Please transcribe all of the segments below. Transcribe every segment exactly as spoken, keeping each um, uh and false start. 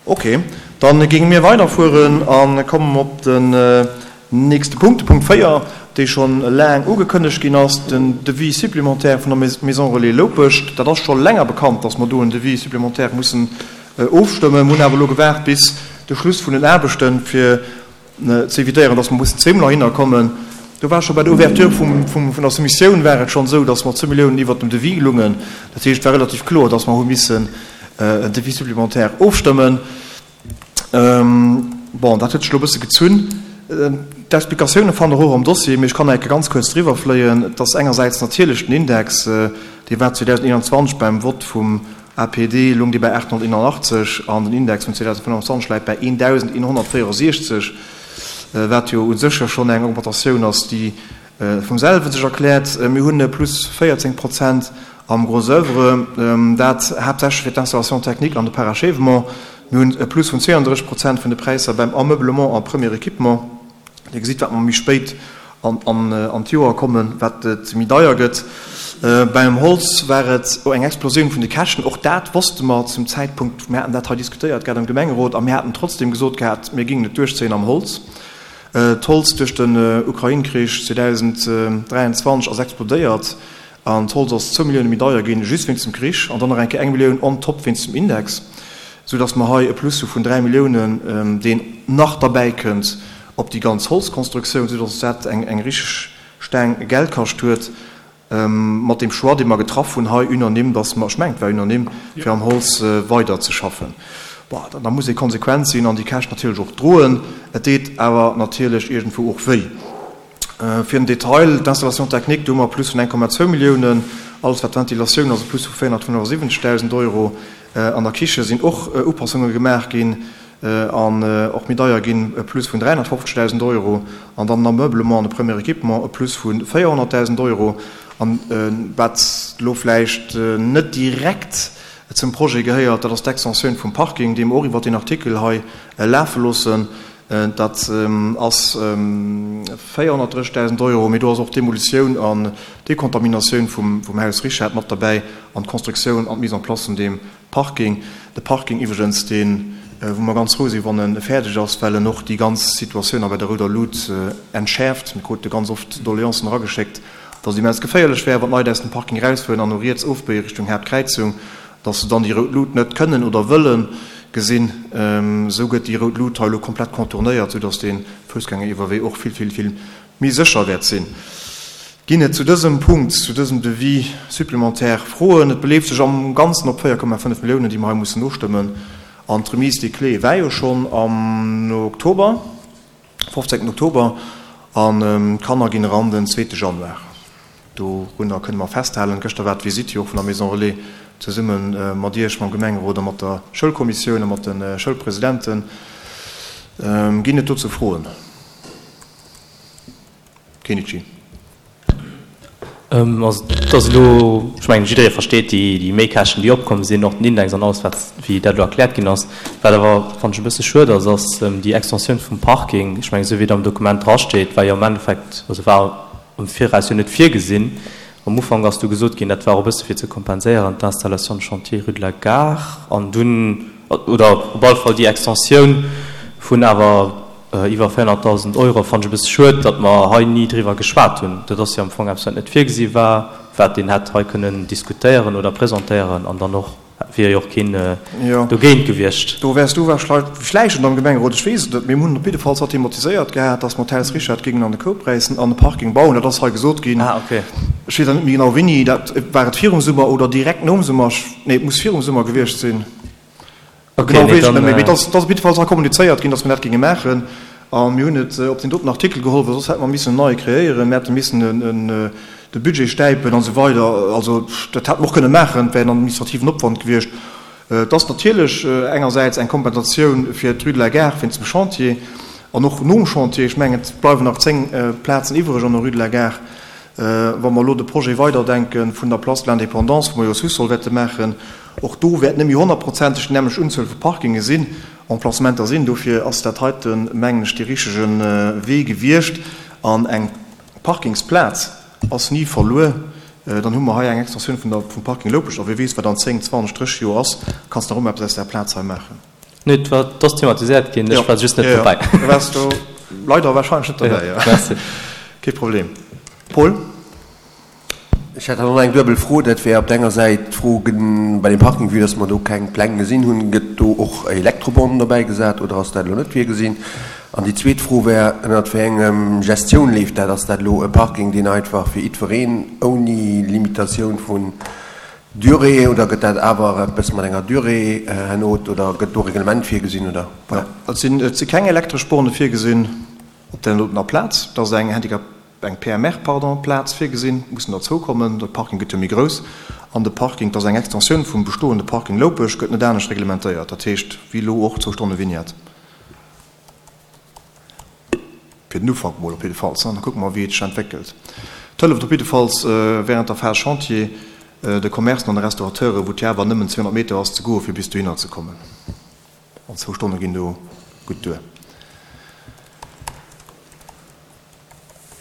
Ok, dann géinge mir weiderfueren a kommen op den nächste Punkt, de Punkt véier, dee schonn laang ugekënnegt ginn ass, den Devis supplémentaire vun der Maison Relais Loupescht. Dat ass scho länger bekannt, dass mer do en Devis supplémentaire mussen ofstëmmen. Mir hunn awer elo gewaart bis de Schluss vun den Aarbechten, fir ze evitéieren, dass mer mussen zweemol heihinner kommen. Do war scho bei der Ouverture vum, vum, vun der Soumissioun war et schonn esou, dass mer zwou Milliounen iwwert dem Devis lungen. Dat heescht, et war relativ kloer, dass mer hu missen en Devis supplémentaire ofstëmmen. Bon, dat huet sech elo e bësse gezunn. D'Explikatioune fannt Der och am Dossier, mee ech kann nach eng Kéier ganz kuerz driwwer fléien. Et ass engersäits natierlech den Index, dee war zweedausendeenanzwanzeg beim Vott vum A P D lung dee bei aathonnerteenanachtzeg an den Index vun zweedausendfënnfanzwanzeg läit bei eendausendeenhonnertvéierundsechzeg, wat jo u sech jo schonn eng Augmentatioun ass, déi vum selwe sech erkläert. Mir hunn e Plus véierzéng Prozent am Gros oeuvre, dat haaptsächlech fir d'Installation technique an de Parachèvement. Mir hunn e Plus vun zweeëndrësseg Prozent vun de Präisser beim Ameublement a Premier équipement. Dir gesitt, wat mer méi spéit an d'Joer kommen, wat et méi deier gëtt. Beim Holz war et eng Explosioun vun de Käschten. Och dat wosste mer zum Zäitpunkt, mir haten dat hei diskutéiert gehat am Gemengerot a mir haten trotzdem gesot gehat, mir géingen et duerchzéien am Holz. D'Holz duerch den Ukrain-Krich zweedausenddräianzwanzeg ass explodéiert an d'Holz ass zwou Millioune méi deier ginn, just wéinst dem Krich, an dann nach eng Kéier eng Millioun on top wéinst dem Index, soudass mer hei e Plus hu vun dräi Milliounen, deen nach derbäikënnt op déi ganz Holzkonstruktioun, soudass dat eng eng richteg Staang Geld kascht huet. Mat deem Choix, dee mer getraff hunn hei unanime, dass mer, ech mengen, et war unanime, fir am Holz weiderzeschaffen. Bon, da muss ee konsequent sinn an déi Käscht natierlech och droen. Et deet awer natierlech iergendwou och wéi. Fir den Detail, d'Installation technique, do hu mer e Plus vun eng Komma zwou Milliounen. Alles wat d'Ventilatioun ass, e Plus vu véierhonnertfënnefasiwwenzegdausend Euro. An der Kiche sinn och Upassunge gemaach ginn an och méi deier ginn, e Plus vun dräihonnertfofzegdausend Euro. An dann den Ameublement an de Premier Équipement, e Plus vu véierhonnertdausend Euro. An wat elo vläicht net direkt zum Projet gehéiert, dat ass d'Extensioun vum Parking, déi mer och iwwert deen Artikel hei lafe loossen. Dat ass véierhonnertdrëssigdausend Euro, mee do ass och d'Demolitioun an d'Dekontaminatioun vum Haus Richard mat derbäi an d'Constructioun an d'Mise en place vun deem Parking. De Parking iwwregens, deen, wou mer ganz frou sinn, wann e fäerdeg ass, well en och déi ganz Situatioun a bei der Rouder Lut entschäerft. Mir krute ganz oft Doleancen erageschéckt, dass et immens geféierlech wär, wann d'Leit aus dem Parking erausfueren an no riets ofbéie Richtung Haaptkräizung, dass se dann déi rout Lut net kënnen oder wëlle gesinn. Esou gëtt déi rout Lut hei elo komplett contournéiert, soudass dee Foussgängeriwwerwee och vill, vill, vill méi sécher wäert sinn. Ginn et zu dësem Punkt, zu dësem Devis supplémentaire Froen? Et beleeft sech am Ganzen op véier Komma fënnef Milliounen, déi mer hei mussen nostëmmen. An d'Remise des clés war jo schonn am Oktober, fofzéngten Oktober, an d'Kanner ginn eran den zweete Januar. Dorunner kënne mer festhalen. Gëschter war d'Visitt jo och vun der Maison Relais zesumme mat Iech, mam Gemengerot a mat der Schoulkommissioun a mat de Schoulpresidenten. Ginn et dozou Froen? Kenichi. Also et ass elo, ech mengen, jidderee versteet déi Méikäschten, déi opkomm sinn, och den Index an alles, wat, wéi dat elo erkläert ginn ass. Wat awer, fannen ech, e bësse schued ass, ass déi Extensioun vum Parking. Ech mengen, esou wéi et am Dokument drasteet, war jo am Endeffekt, also war am Viraus jo net virgesinn. Am Ufank ass du gesot ginn, dat war och e bësse fir ze kompenséieren d'Installation de chantier rue de la Gare an dunn, oder op alle Fall déi Extensioun vun awer iwwer véierhonnertdausend Euro, fannen ech e bësse schued, datt mer hei ni driwwer geschwat hunn. Dat ass jo am Fong eppes, wat net virgesi war, wat een hätt hei kënnen diskutéieren oder presentéieren an dann och wier jo och keen dogéint gewiescht. Do wäers du vläicht net am Gemengerot, ech weess et net, mee mir hunn op jiddefalls dat thematiséiert gehat, datt mer d'Haus Richard géingen an de Koup räissen an e Parking bauen. Dat ass hei gesot ginn. Ech weess awer net méi genau wéini. Dat war et virum Summer oder direkt nom Summer? Nee, et muss virum Summer gewiescht sinn. Genau weess ech net méi. Mee et ass op jiddefalls hei kommunizéiert ginn, datt mir dat géinge maachen. A mir hunn et op deen doten Artikel geholl, well soss hätte mer missen en neie kreéieren, mir hätte missen de Budget stäipen an esou weider. Also dat hätte mer och kënne maachen, et wär en administrativen Opwand gewiescht. Et ass natierlech engersäits eng Kompensatioun fir d'Rue de la Gare wéinst dem Chantier an och nom Chantier. Ech mengen, et bleiwen nach zéng Plazen iwwereg an der Rue de la Gare. Wa mer elo de Projet weiderdenke vun der Place de l'Indépendance, wou mer jo Sous-sol wäerte maachen, och do wäert net méi honnertprozenteg déi nämmlecht Unzuel vu Parkinge sinn, Emplacementer sinn. Dofir ass dat heiten, mengen ech, dee richtege Wee gewiescht. An eng Parkingsplaz ass ni verluer. Dann hu mer hei eng Extensioun vun der, vum Parking Loupescht. A wie weess, wat an zéng, zwanzeg, drësseg Joer ass, kanns de nach ëmmer eppes aus där Plaz hei maachen. Nee, et war, et ass thematiséiert ginn, ech war just net dobäi. Du waars do leider wahrscheinlech net dobäi, jo. Merci. Kee Problem. Paul? Ech hätt dann och nach eng duebel Fro. Dat wär op der enger Säit d'Fro bei dem Parking, vue dass mer do keng Pläng gesinn hunn, gëtt do och Elektrobornen dobäi gesat oder ass dat elo net virgesinn? An déi zweet Fro wär, ënnert wéi engem Gestioun leeft dat? Ass dat elo e Parking, deen einfach fir jiddwereen ouni Limitatioun vun Durée oder gëtt dat awer eppes mat enger Durée herno oder gëtt do Reglement virgesinn oder? Voilà. Et sinn, et si keng elektresch Borne virgesinn op där dotener Plaz. Et ass eng Handicap, eng P M R, pardon, Plaz virgesinn, mussen derzou kommen. De Parking gëtt jo méi grouss an de Parking, et ass eng Extensioun vum bestoende Parking Loupech, gëtt net anescht reglementéiert. Dat heescht, wéi elo och zwou Stonne Vignette. Fir den Ufank mol op jiddefalls. Da kucke mer, wéi et sech entwéckelt. Et hëlleft op jiddefalls während der Phase Chantier de Commercen an de Restaurateuren, wou et jo awer nëmmen zweehonnert Meter ass, ze goen, fir bis dohinner ze kommen. An zwou Stonne ginn do gutt duer.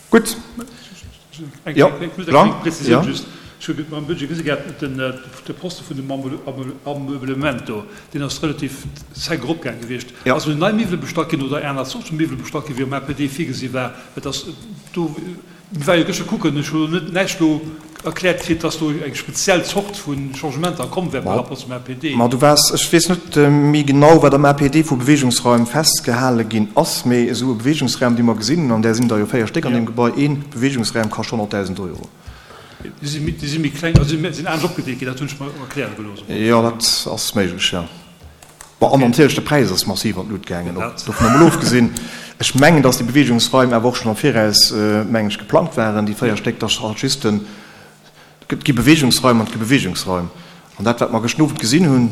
Gutt. Jo, Jean? Jo. Ech hu am Budget gesi gehat, de Poste vun dem Ameublement do, deen ass relativ sec eropgaang gewiescht. Ass elo nei Miwwele bestallt ginn oder aner Zort vu Miwwele bestallt ginn, wéi am A P D virgesi war? Et ass do. Mir ware jo gëschter kucken, ech hu net näischt do erkläert kritt, dass do eng speziell Zort vu Changementer komm wär par rapport zum A P D. Ma du waars, ech weess net méi genau, wat am A P D vu Beweegungsraim festgehale ginn ass, mee esou e Beweegungsraum, dee mer gesinn hunn, an där sinn der jo véier Stéck an deem Gebai, ee Beweegungsraum kascht honnertdausend Euro. Déi si méi, déi si méi kleng, also sinn anescht opgedeelt ginn, dat hunn ech mer erkläre gelooss. Jo, dat ass méiglech, jo. Bon, an natierlech de Präis ass massiv an d'Lut gaangen, och dovun emol ofgesinn. Ech mengen, dass déi Beweegungsraim awer och schonn am Viraus, mengen ech, geplangt waren, déi véier Stéck, dass halt just den, et gi Beweegungsraim an et gi Beweegungsraim. An dat, wat mer gëschten Owend gesinn hunn,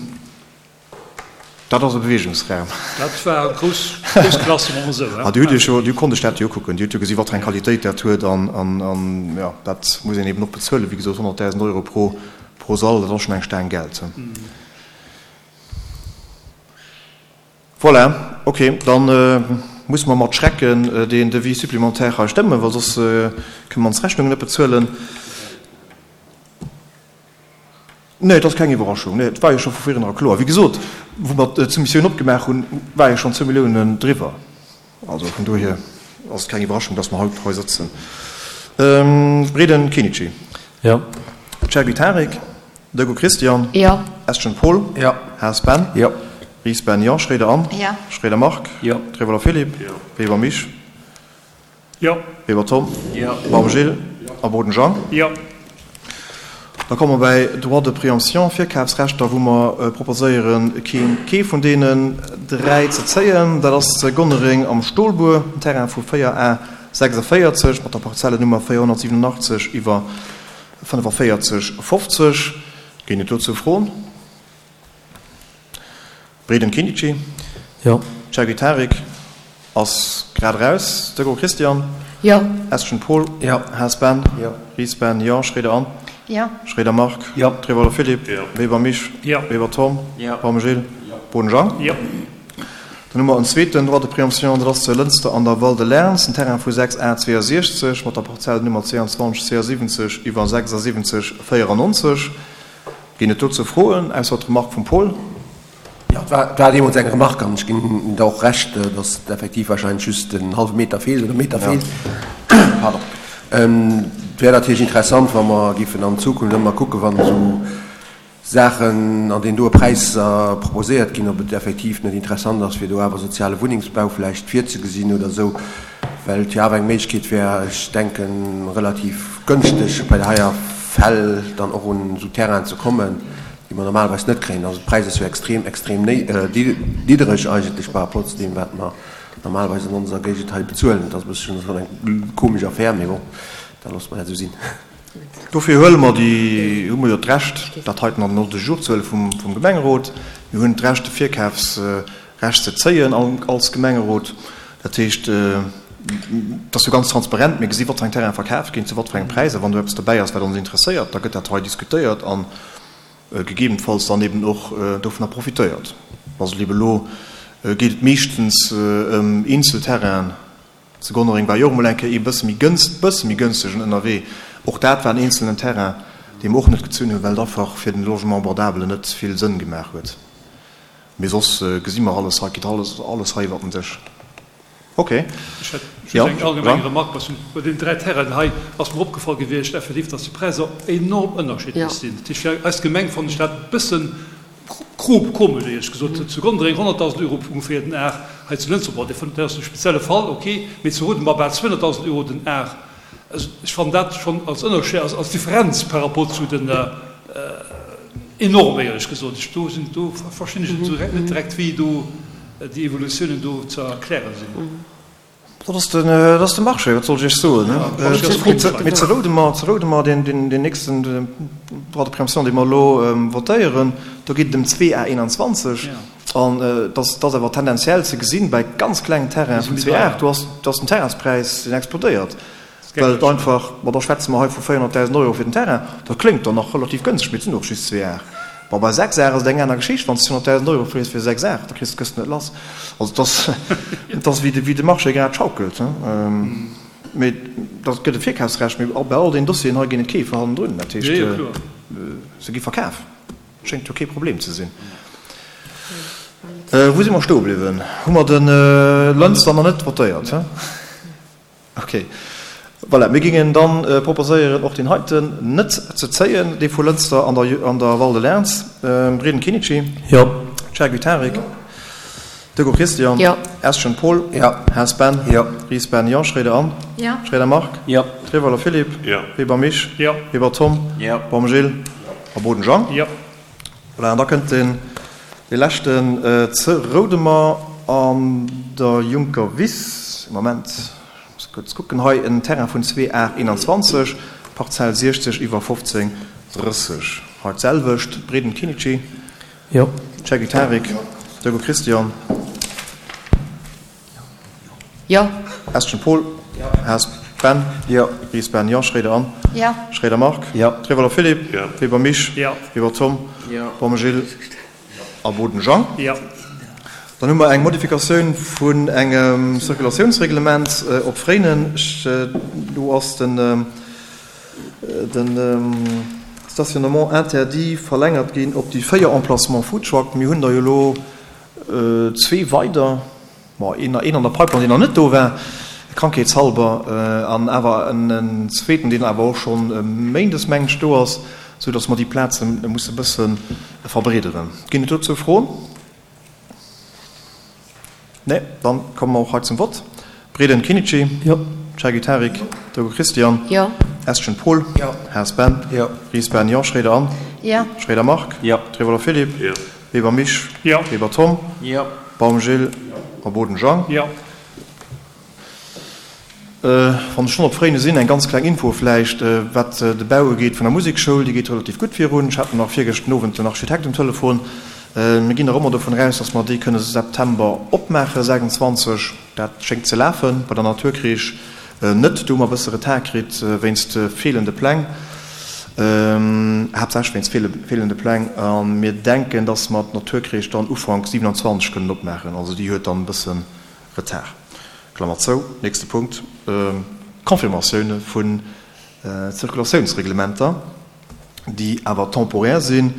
dat ass e Beweegungsraum. Dat war grouss, grouss Klass, soe mer emol esou, hein. Ah, Dir hutt Iech jo, Dir konnt Iech dat jo ukucken. Dir hutt jo gesi wat fir eng Qualitéit dat huet an, an, an, jo, dat muss een eben och bezuelen. Wéi gesot, honnertdausend Euro pro, pro Sall, dat ass schonn eng Staang Geld. Voilà, ok, da musse mer mat Schrecken deen Devis supplémentaire hei stëmmen, well soss kënne mer ons Rechnungen net bezuelen. Nee, et ass keng Iwwerraschung. Nee, et war jo scho vu virnera kloer. Wéi gesot, wou mer d'Soumissioun opgemaach hunn, war jo schonn zwou Milliounen driwwer. Also vun dohier ass et keng Iwwerraschung, dass mer haut hei sëtzen. Breden Kenichi. Jo. Chergui Tarik. Dego Christian. Jo. Estgen Paul. Jo. Haas Ben. Jo. Ries Ben, jo. Schroeder Anne. Jo. Schroeder Marc. Jo. Trevoller Philippe. Jo. Weber Mich. Jo. Weber Tom. Jo. Baum Gilles. Jo. A Boden Jean. Jo. Da komme mer bäi Droit de préemption, Virkafsrechter, wou mer proposéieren, keen, kee vun deenen dräi ze zéien. Dat ass Gonnereng am Stolbuer, en Terrain vu véier A sechsundvéierzeg mat der Parzellennummer véierhonnertsiwwenundachtzeg iwwer fënnefenvéierzeg fofzeg. Ginn et dozou Froen? Breden Kinici. Jo. Chergui Tarik ass grad eraus. Deco Christian. Jo. Estgen Paul. Jo. Haas Ben. Jo. Ries Ben, jo. Schroeder Anne. Jo. Schroeder Marc. Jo. Trevoller Philippe. Jo. Weber Mich. Jo. Weber Tom. Jo. Baum Gilles. Jo. Boden Jean. Jo. Dann hu mer en zweeten Droit de préemption, dat ass zu Lënster an der Val de Lärns, en Terrain vu sechs A zweeëndsechzeg mat der Parzellennummer zweiundzwanzeg zweiundsiwwenzeg iwwer sechsundsiwwenzeg vierundneunzig. Ginn et dozou Froen, ausser d'Remark vum Paul? Jo, et war, war deemools eng Remark an ech ginn der och Recht, dass et effektiv wahrscheinlech just en hallwe Meter feelt oder e Meter feelt. Pardon. Et wär natierlech interessant, wa mer géifen an Zukunft ëmmer kucken, wann esou Saachen an deen doe Präisser proposéiert ginn, ob et effektiv net interessant ass, fir do awer soziale Wunnengsbau vläicht virzegesinn oder esou, well et jo awer eng Méiglechkeet wär, ech denken, relativ gënschteg bei der heier Fäll dann och un esou Terrainen ze kommen, déi mer normalerweis net kréien. Also de Präis ass jo extrem, extrem niddereg eigentlech par rapport zu deem, wat mer normalerweis an onser Géigend hei bezuelen. Dat ass e bësschen schonn eng komesch Affär, mee bon, da loosse mer dat esou sinn. Dofir huele mer déi, hu mer jo d'Recht, dat heiten an den Ordre du jour ze huele vum, vum Gemengerot. Mir hunn d'Recht, de Virkafsrecht ze zéien als Gemengerot. Dat heescht, et ass jo ganz transparent, mir gesi wat fir eng Terraine verkaf ginn, zu wat fir engem Präis. A wann do eppes dobäi ass, wat ons interesséiert, da gëtt dat hei diskutéiert a gegebenenfalls dann eben och dovunner profitéiert. Also liebe elo geet et meeschtens ëm eenzel Terrainen. Zu Gonnereng war jo och emol eng Kéier ee bësse méi gënst, bësse méi gënstegen ënnerwee. Och dat war en eenzelnen Terrain, dee mer och net gezunn hunn, well et einfach fir den Logement abordable net vill Sënn gemaach huet. Mee soss gesi mer alles hei, geet alles, alles hei iwwer den Dësch. Ok. Ech hätt just eng allgemeng Remark, was bei deenen dräi Terrainen hei ass mer opgefall gewiescht, effektiv, dass déi Präisser enorm ënnerschiddlech sinn. Dat heescht, fir eis Gemeng fannen ech dat e bëssen komesch, éierlech gesot. Zu Gondreng honnertdausend Euro ongeféier den Ar, hei zu Lënster, bon, dat ass e spezielle Fall, ok, mee zu Roudenbach bal zweehonnertdausend Euro den Ar. Also ech fannen dat schonn als Ënnerscheed, als Differenz par rapport zu den enorm, éierlech gesot. Ech do sinn, do verstinn ech net direkt, wéi do déi Evolutiounen do ze erklären sinn. Dat ass den, dat ass de Marché, wat soll ech Iech soen, ne? Mee ze Roudemer, ze Roudemer, deen, deen, deen nächsten Droit de préemption, dee mer elo votéieren, do geet et ëm zwee A eenanzwanzeg. An et ass, et ass awer tendenziell ze gesinn, bei ganz klengen Terrainen vun zwee A, do ass, do ass den Terrainspräis, deen explodéiert. Well et einfach, ma da schwätze mer hei vu véierhonnertdausend Euro fir den Terrain, dat kléngt dann nach relativ gënschteg, mee et sinn och just zwee Ar. Bon, bei sechs Ar ass et eng aner Geschicht, wann s de zweehonnertdausend Euro frees fir sechs Ar, da kriss de d'Këscht net lass. Also et ass, et ass wéi de, wéi de Marché grad schaukelt, hein. Mee dat gëtt e Virkafsrecht, mee bei all deenen Dossieren hei ginn et Keefer hannendrun, dat heescht, se gi verkaf, schéngt jo kee Problem ze sinn. Wou si mer stoe bliwwen? Hu mer de Lënster nach net votéiert, hein? Ok. Voilà, mir gingen dann proposéieren, och deen heiten net ze zéien, dee vu Lënster an der an der Val de Lernz. Breden Kinnici. Jo. Chergui Tarik. Jo. Deco Christian. Jo. Eschen Paul. Jo. Haas Ben. Jo. Ries Ben, jo. Schroeder Anne. Jo. Schroeder Marc. Jo. Trewolwer Philippe. Jo. Weber Misch. Jo. Weber Tom. Jo. Baum Gilles. Jo. A Boden Jean. Jo. Voilà, an da kënnt deen dee leschten ze Roudemer an der Juncker Wiss. Moment. Muss kuerz kucken, hei en Terrain vun zwee Ar eenanzwanzeg, Parzell siechzeg iwwer fofzéng drësseg. Hei d'selwecht, Breden Kinnici. Jo. Chergui Tarik. Deco Christian. Jo. Eschen Paul. Jo. Haas Ben. Jo. Ries Ben, jo. Schroeder Anne. Jo. Schroeder Marc. Jo. Trewolwer Philippe. Jo. Weber Misch. Jo. Weber Tom. Jo. Baum Gilles. A Boden Jean. Jo. Dann hu mer eng Modifikatioun vun engem Circulatiounsreglement op Fréinen. Do ass den Stationnement interdit verlängert ginn op déi véier Emplacements Foodtruck. Mir hunn der jo elo zwee weider, bon, een an der Pipeline, deen nach net do war, krankheetshalber, an awer en zweeten, deen awer och scho méindes, mengen ech, do ass, soudass mer déi Plaze musse e bësse verbreederen. Ginn et dozou Froen? Nee, dann komme mer och hei zum Vott. Breden Kinnici. Jo. Chergui Tarik. Deco Christian. Jo. Eschen Paul. Jo. Haas Ben. Jo. Ries Ben, jo. Schroeder Anne. Jo. Schroeder Marc. Jo. Trewolwer Philippe. Jo. Weber Misch. Jo. Weber Tom. Jo. Baum Gilles. A Boden Jean. Jo. Wann ech schonn op Fréine sinn, eng ganz kleng Info vläicht, wat de Bau ugeet vun der Musekschoul. Déi geet relativ gutt virun. Ech hat nach virgëscht den Owend den Architekt um Telefon. Mir ginn nach ëmmer dovun aus, dass mer déi kënne September opmaachen, sechsundzwanzeg. Dat schéngt ze lafen. Bei der Naturkreesch net. Do hu mer e bësse Retard kritt wéinst feelende Pläng, haaptsächlech wéinst feelende Pläng. A mir denken, dass mer d'Naturkreesch dann Ufank siewenundzwanzeg kënnen opmaachen. Also déi huet dann e bësse Retard. Klammer zou. Nächste Punkt, Confirmatioune vun Zirkulatiounsreglementer, déi awer temporär sinn.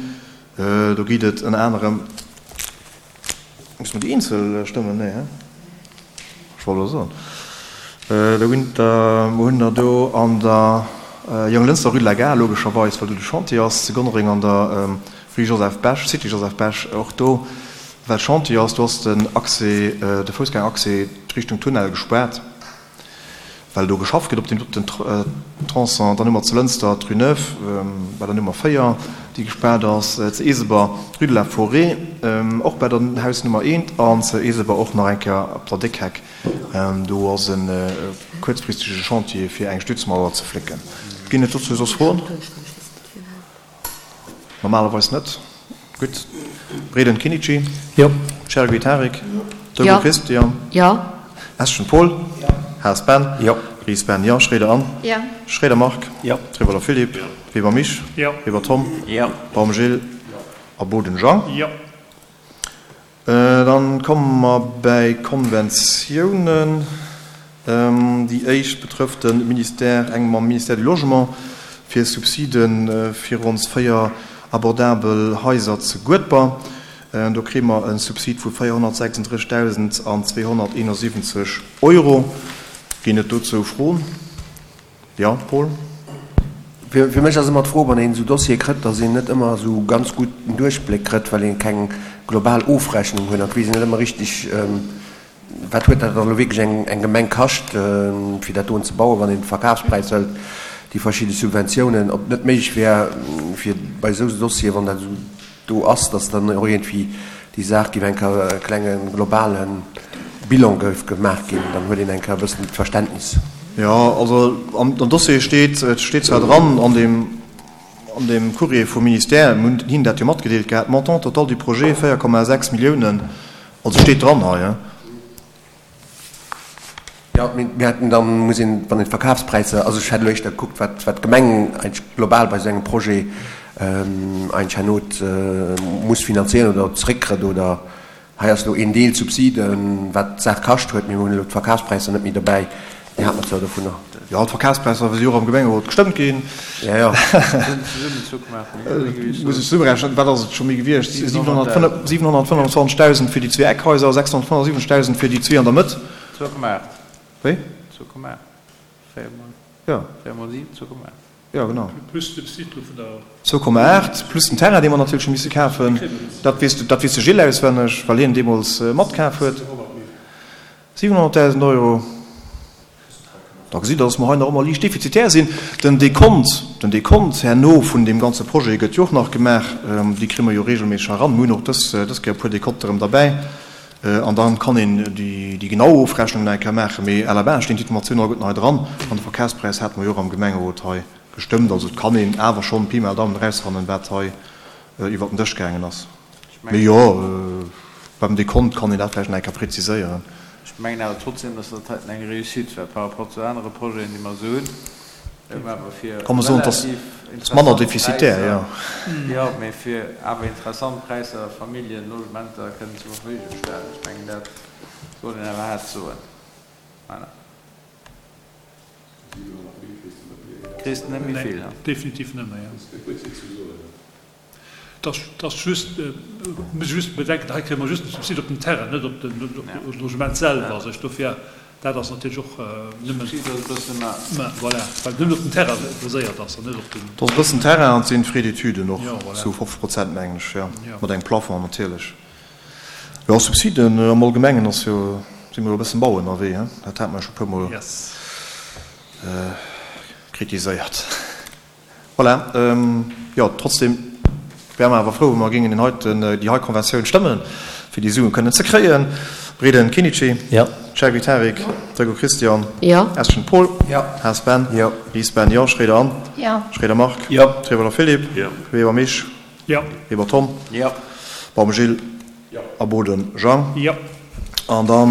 Do geet et ënner anerem, musse mer déi eenzel stëmmen? Nee, he? Ech wollt elo soen. Do ginn der, mer hunn der do an der Jonglënster Rue de la Gare, logescherweis, well do de Chantier ass, zu Gonnereng an der Rue Joseph Bech, Cité Joseph Bech, och do, well Chantier ass, do ass den Accès, de Foussgängeraccès Richtung Tunnel gespaart, well do geschafft gëtt op deem doten Tronçon. Dann hu mer zu Lënster d'Rue Neuve bei der Nummer véier, déi gespaart ass, zu Eeseber d'Rue de la Forêt, och bei der Haus Nummer eent, an zu Eeseber och nach eng Kéier op der Déckheck. Do ass e kuerzfristege Chantier, fir eng Stützmauer ze flécken. Ginn et dozou soss Froen? Normalerweis net. Gutt. Breden Kinnici. Jo. Chergui Tarik. Jo. Deco Christian. Jo. Eschen Paul. Jo. Haas Ben. Jo. Ries Ben, jo. Schroeder Anne. Jo. Schroeder Marc. Jo. Trewolwer Philippe. Jo. Weber Misch. Jo. Weber Tom. Jo. Baum Gilles. Jo. A Boden Jean. Jo. Dann komme mer bäi Konventiounen. Déi éischt betrëfft de Ministère, eng mam Ministère du Logement, fir Subside fir ons véier abordabel Haiser zu Guedber. Do kréie mer e Subsid vu véierhonnertsechsunddrëssigtausendzweehonnerteenundsiwwenzeg Euro. Ginn et dozou Froen? Jo, Paul? Fir mech ass ëmmer d'Fro, wann een esou Dossiere kritt, datt een net ëmmer esou ganz gutt den Duerchbléck kritt, well ee keng global Ofrechnung huet an et weess een net ëmmer richtig, wat huet dat dann elo wierklech eng eng Gemeng kascht, fir dat doen ze bauen, wann een de Verkafspräis hëlt, déi verschidde Subventiounen, ob et net méiglech wär, fir bei esou Dossieren, wann dat esou do ass, dass dann och iergendwéi déi Saach géif eng Kéier e klenge globale Bilan géif gemaach ginn, dann huet een eng Kéier e bëssen d'Verständnis. Jo, also am Dossier steet, et steet zwar dran an deem, an deem Courrier vum Ministère, mir hunn hinnen dat jo matgedeelt gehat, Montant total du projet véier Komma sechs Milliounen, also steet dran hei. Jo, mir hätten dann, muss een, wann een d'Verkafspräisser, also ech hätt elo éischter gekuckt, wat, wat d'Gemeng eigentlech global bei esou engem Projet eigentlech herno muss finanzieren oder zréckkritt oder hei ass elo een Deel Subside, wat d'Saach kascht huet, mee mir hunn elo d'Verkafspräisser net méi dobäi, déi hate mer zwar dovunner. Jo, d'Verkafspräisser si jo och am Gemengerot gestëmmt ginn. Jo, jo. Muss ech zesummerechnen, wat ass et scho méi gewiescht? siwenhonnertfënnefzwanzegdausend fir déi zwee Eckhaiser, sechshonnertfënnefsiwwenzegdausend fir déi zwee an der Mëtt. Zwou Komma aacht. Wéi? Zwou Komma aacht. Véier mol. Jo. Véier mol siwen, zwou Komma aacht. Jo, genau. Plus de Cycle vun der. Zwou Komma aacht, plus den Terrain, dee mer natierlech hu misse kafen. Dat weess de, dat weess de Gilles auswenneg, well hien deemools matkaf huet. Siwenhonnertdausend Euro. Da gesitt Der, dass mer hei nach ëmmer liicht defizitär sinn. Den Dekont, den Dekont herno vun deem ganze Projet gëtt jo och nach gemaach. Déi kréie mer jo regelméisseg eran. Mir hunn och dës, dës Kéier e puer Dekonte erëm derbäi. An da kann een déi genau Ofrechnung nach eng Kéier maachen. Mee à la base stinn d'Informatiounen alleguerten hei dran. An de Verkafspräis hate mer jo och am Gemengerot hei gestëmmt. Also et kann een awer schonn Pi mal Daumen erausfannen, wat hei iwwert den Dësch gaangen ass. Mee jo, beim Dekont kann een dat vläicht nach eng Kéier preziséieren. Ech mengen awer trotzdem, dass dat heiten eng Réussite war par rapport zu anere Projeten, déi mer esou hunn. Awer fir Kann man soen, dass relativ ass manner interessant defizitär, Präisser, jo. jo, mee fir awer interessant Präisser Familljenlogementer kënnen zur Verfügung stellen. Ech mengen, dat soll een awer haart soen. Voilà. Kriss de net méi vill, Nee, ha? definitiv net méi, jo. Et ass just, muss ee just bedenken, hei kréie mer just de Subsid op den Terrain, net op de Logement selwer. Also ech dofir, dat ass natierlech och nëmmen, voilà, well et nëmmen op den Terrain baséiert ass an net op den. Et ass e bëssen Terrain an et sinn d'Frais d'études och Jo, zu voilà. fofzeg Prozent, mengen ech, jo, Jo. mat engem Plafond natierlech. Jo, Subsiden am Allgemengen ass jo, si mer jo e bëssen bau ënnerwee, hein, dat hate mer jo scho e puermol Yes. kritiséiert. Voilà, jo, trotzdem wäre mer awer frou, wa mer géingen deen heiten, déi hei Konventioun stëmmen, fir déi Sue kënnen ze kréien. Breden Kinnici. Jo. Cherky Tarik. Jo. Dreggo Christian. Jo. Eschen Paul. Jo. Haas Ben. Jo. Ries Ben, jo. Schroeder Anne. Jo. Schroeder Marc. Jo. Trieweler Philippe. Jo. Weber Misch. Jo. Weber Tom. Jo. Baum Gilles. Jo. A Boden Jean. Jo. An dann